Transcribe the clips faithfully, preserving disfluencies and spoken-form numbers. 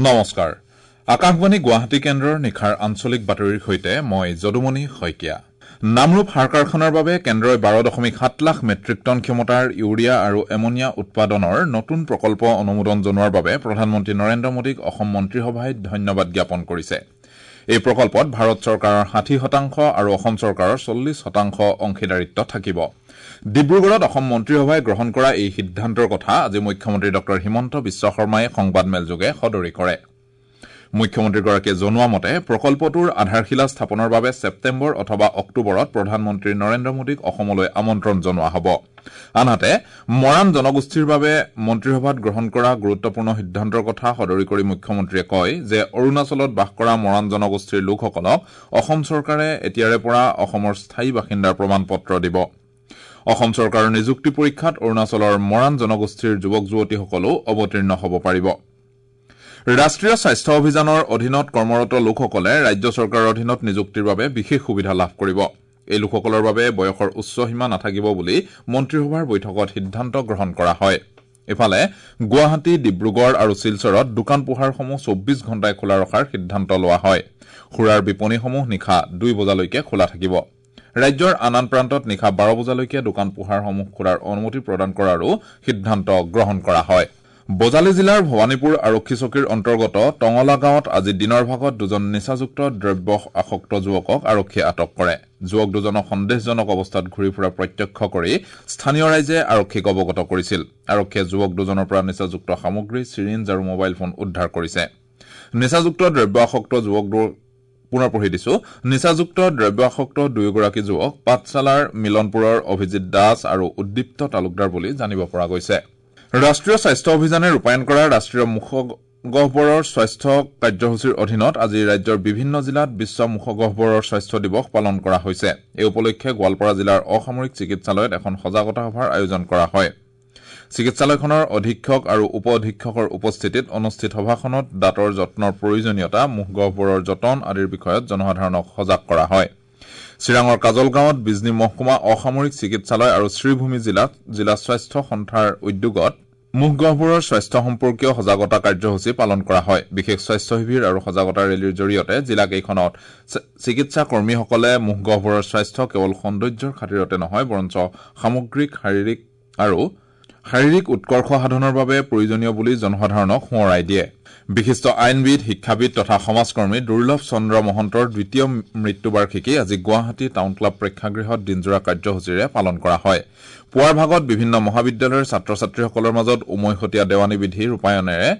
নমস্কাৰ, আকাশবাণী গুৱাহাটী কেন্দ্ৰৰ নিশাৰ আঞ্চলিক বাতৰিৰ সৈতে মই যদুমণি শইকীয়া। নামৰূপ সাৰ কাৰখানাৰ বাবে কেন্দ্ৰই বাৰ দশমিক সাত লাখ মেট্ৰিক টন ক্ষমতাৰ ইউৰিয়া আৰু এমনিয়া উৎপাদনৰ নতুন প্ৰকল্প অনুমোদন জনোৱাৰ বাবে প্ৰধানমন্ত্ৰী নৰেন্দ্ৰ মোদীক অসম মন্ত্ৰীসভাই ধন্যবাদ জ্ঞাপন কৰিছে। এই প্ৰকল্পত ভাৰত চৰকাৰৰ ষাঠি শতাংশ আৰু অসম চৰকাৰৰ চল্লিছ শতাংশ অংশীদাৰিত্ব থাকিব। ডিব্ৰুগড়ত অসম মন্ত্ৰীসভাই গ্ৰহণ কৰা এই সিদ্ধান্তৰ কথা আজি মুখ্যমন্ত্ৰী ডঃ হিমন্ত বিশ্ব শৰ্মাই সংবাদমেলযোগে সদৰি কৰে। মুখ্যমন্ত্ৰীগৰাকীয়ে জনোৱা মতে প্ৰকল্পটোৰ আধাৰশিলা স্থাপনৰ বাবে ছেপ্টেম্বৰ অথবা অক্টোবৰত প্ৰধানমন্ত্ৰী নৰেন্দ্ৰ মোদীক অসমলৈ আমন্ত্ৰণ জনোৱা হ'ব। আনহাতে মৰাণ জনগোষ্ঠীৰ বাবে মন্ত্ৰীসভাত গ্ৰহণ কৰা গুৰুত্বপূৰ্ণ সিদ্ধান্তৰ কথা সদৰি কৰি মুখ্যমন্ত্ৰীয়ে কয় যে অৰুণাচলত বাস কৰা মৰাণ জনগোষ্ঠীৰ লোকসকলক অসম চৰকাৰে এতিয়াৰে পৰা অসমৰ স্থায়ী বাসিন্দাৰ প্ৰমাণ পত্ৰ দিব। অসম চৰকাৰৰ নিযুক্তি পৰীক্ষাত অৰুণাচলৰ মৰাণ জনগোষ্ঠীৰ যুৱক যুৱতীসকলো অৱতীৰ্ণ হ'ব পাৰিব। ৰাষ্ট্ৰীয় স্বাস্থ্য অভিযানৰ অধীনত কৰ্মৰত লোকসকলে ৰাজ্য চৰকাৰৰ অধীনত নিযুক্তিৰ বাবে বিশেষ সুবিধা লাভ কৰিব। এই লোকসকলৰ বাবে বয়সৰ উচ্চ সীমা নাথাকিব বুলি মন্ত্ৰীসভাৰ বৈঠকত সিদ্ধান্ত গ্ৰহণ কৰা হয়। ইফালে গুৱাহাটী, ডিব্ৰুগড় আৰু শিলচৰত দোকান পোহাৰসমূহ চৌব্বিছ ঘণ্টাই খোলা ৰখাৰ সিদ্ধান্ত লোৱা হয়। সুৰাৰ বিপণীসমূহ নিশা দুই বজালৈকে খোলা থাকিব। ৰাজ্যৰ আন আন প্ৰান্তত নিশা বাৰ বজালৈকে দোকান পোহাৰসমূহ খোলাৰ অনুমতি প্ৰদান কৰাৰো সিদ্ধান্ত গ্ৰহণ কৰা হয়। বজালী জিলাৰ ভৱানীপুৰ আৰক্ষী চকীৰ অন্তৰ্গত টঙলা গাঁৱত আজি দিনৰ ভাগত দুজন নিচাযুক্ত দ্ৰব্য আসক্ত যুৱকক আৰক্ষীয়ে আটক কৰে। যুৱক দুজনক সন্দেহজনক অৱস্থাত ঘূৰি ফুৰা প্ৰত্যক্ষ কৰি স্থানীয় ৰাইজে আৰক্ষীক অৱগত কৰিছিল। আৰক্ষীয়ে যুৱক দুজনৰ পৰা নিচাযুক্ত সামগ্ৰী, চিৰিঞ্জ আৰু মোবাইল ফোন উদ্ধাৰ কৰিছে। নিচাযুক্ত দ্ৰব্য আসক্ত যুৱক পুনৰ পঢ়ি দিছো। নিচাযুক্ত দ্ৰব্য আসক্ত দুয়োগৰাকী যুৱক পাঠশালাৰ মিলনপুৰৰ অভিজিৎ দাস আৰু উদ্দীপ্ত তালুকদাৰ বুলি জানিব পৰা গৈছে। ৰাষ্ট্ৰীয় স্বাস্থ্য অভিযানে ৰূপায়ণ কৰা ৰাষ্ট্ৰীয় মুখগহ্বৰৰ স্বাস্থ্য কাৰ্যসূচীৰ অধীনত আজি ৰাজ্যৰ বিভিন্ন জিলাত বিশ্ব মুখগহ্বৰৰ স্বাস্থ্য দিৱস পালন কৰা হৈছে। এই উপলক্ষে গোৱালপাৰা জিলাৰ অসামৰিক চিকিৎসালয়ত এখন সজাগতা সভাৰ আয়োজন কৰা হয়। চিকিৎসালয়খনৰ অধীক্ষক আৰু উপ অধীক্ষকৰ উপস্থিতিত অনুষ্ঠিত সভাখনত দাঁতৰ যত্নৰ প্ৰয়োজনীয়তা, মুখগহ্বৰৰ যতন আদিৰ বিষয়ত জনসাধাৰণক সজাগ কৰা হয়। চিৰাঙৰ কাজলগাঁৱত বিজনী মহকুমা অসামৰিক চিকিৎসালয় আৰু শ্ৰীভূমি জিলাত জিলা স্বাস্থ্য সন্থাৰ উদ্যোগত মুখগহ্বৰৰ স্বাস্থ্য সম্পৰ্কীয় সজাগতা কাৰ্যসূচী পালন কৰা হয়। বিশেষ স্বাস্থ্য শিবিৰ আৰু সজাগতা ৰেলীৰ জৰিয়তে জিলাকেইখনত চিকিৎসা কৰ্মীসকলে মুখগহ্বৰৰ স্বাস্থ্য কেৱল সৌন্দৰ্যৰ খাতিৰতে নহয়, বৰঞ্চ সামগ্ৰিক শাৰীৰিক আৰু শাৰীৰিক উৎকৰ্ষ সাধনৰ বাবে প্ৰয়োজনীয় বুলি জনসাধাৰণক সোঁৱৰাই দিয়ে। বিশিষ্ট আইনবিদ, শিক্ষাবিদ তথা সমাজকৰ্মী দুৰ্লভ চন্দ্ৰ মহন্তৰ দ্বিতীয় মৃত্যুবাৰ্ষিকী আজি গুৱাহাটী টাউন ক্লাব প্ৰেক্ষাগৃহত দিনজোৰা কাৰ্যসূচীৰে পালন কৰা হয়। পুৱাৰ ভাগত বিভিন্ন মহাবিদ্যালয়ৰ ছাত্ৰ ছাত্ৰীসকলৰ মাজত উমৈহতীয়া দেৱানী বিধি ৰূপায়ণেৰে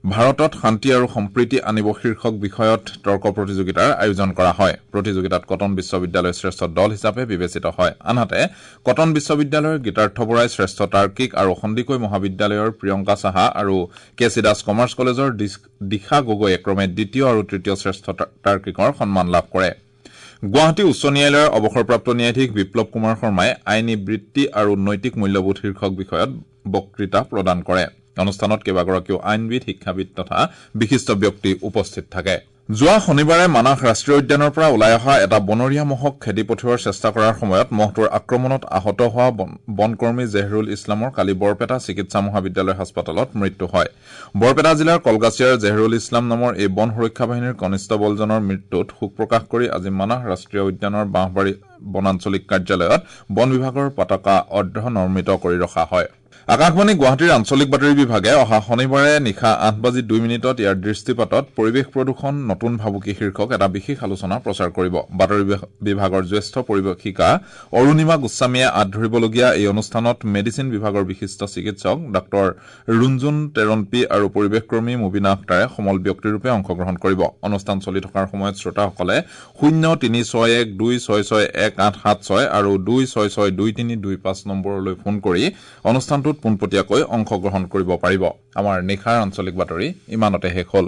ভাৰতত শান্তি আৰু সম্প্ৰীতি আনিব শীৰ্ষক বিষয়ত তৰ্ক প্ৰতিযোগিতাৰ আয়োজন কৰা হয়। প্ৰতিযোগিতাত কটন বিশ্ববিদ্যালয় শ্ৰেষ্ঠ দল হিচাপে বিবেচিত হয়। আনহাতে কটন বিশ্ববিদ্যালয়ৰ গীতাৰ্থ বৰাই শ্ৰেষ্ঠ তাৰ্কিক আৰু সন্দিকৈ মহাবিদ্যালয়ৰ প্ৰিয়ংকা সাহা আৰু কে চি দাস কমাৰ্চ কলেজৰ দিশা গগৈয়ে ক্ৰমে দ্বিতীয় আৰু তৃতীয় শ্ৰেষ্ঠ তাৰ্কিকৰ সন্মান লাভ কৰে। গুৱাহাটী উচ্চ ন্যায়ালয়ৰ অৱসৰপ্ৰাপ্ত ন্যায়াধীশ বিপ্লৱ কুমাৰ শৰ্মাই আইনী বৃত্তি আৰু নৈতিক মূল্যবোধ শীৰ্ষক বিষয়ত বক্তৃতা প্ৰদান কৰে। অনুষ্ঠানত কেইবাগৰাকীও আইনবিদ, শিক্ষাবিদ তথা বিশিষ্ট ব্যক্তি উপস্থিত থাকে। যোৱা শনিবাৰে মানাহ ৰাষ্ট্ৰীয় উদ্যানৰ পৰা ওলাই অহা এটা বনৰীয়া মহক খেদি পঠিওৱাৰ চেষ্টা কৰাৰ সময়ত মহটোৰ আক্ৰমণত আহত হোৱা বনকৰ্মী জেহৰুল ইছলামৰ কালি বৰপেটা চিকিৎসা মহাবিদ্যালয় হাস্পতালত মৃত্যু হয়। বৰপেটা জিলাৰ কলগাছিয়াৰ জেহৰুল ইছলাম নামৰ এই বন সুৰক্ষা বাহিনীৰ কনিষ্টবলজনৰ মৃত্যুত শোক প্ৰকাশ কৰি আজি মানাহ ৰাষ্ট্ৰীয় উদ্যানৰ বাঁহবাৰী বনাঞ্চলিক কাৰ্যালয়ত বন বিভাগৰ পতাকা অৰ্ধনৰ্মিত কৰি ৰখা হয়। আকাশবাণী গুৱাহাটীৰ আঞ্চলিক বাতৰি বিভাগে অহা শনিবাৰে নিশা আঠ বাজি দুই মিনিটত ইয়াৰ দৃষ্টিপাতত পৰিৱেশ প্ৰদূষণ নতুন ভাবুকি শীৰ্ষক এটা বিশেষ আলোচনা প্ৰচাৰ কৰিব। বাতৰি বিভাগৰ জ্যেষ্ঠ পৰিৱেশিকা অৰুণিমা গোস্বামীয়ে আঁত ধৰিবলগীয়া এই অনুষ্ঠানত মেডিচিন বিভাগৰ বিশিষ্ট চিকিৎসক ডাঃ ৰুঞ্জুন টেৰণপি আৰু পৰিৱেশকৰ্মী মুবিনা আখতাৰে সমল ব্যক্তিৰূপে অংশগ্ৰহণ কৰিব। অনুষ্ঠান চলি থকাৰ সময়ত শ্ৰোতাসকলে শূন্য তিনি ছয় এক দুই ছয় ছয় এক আঠ সাত ছয় আৰু দুই ছয় ছয় দুই তিনি দুই পাঁচ নম্বৰলৈ ফোন কৰি অনুষ্ঠানটোত পোনপটীয়াকৈ অংশগ্ৰহণ কৰিব পাৰিব। আমাৰ নিশাৰ আঞ্চলিক বাতৰি ইমানতে শেষ হ'ল।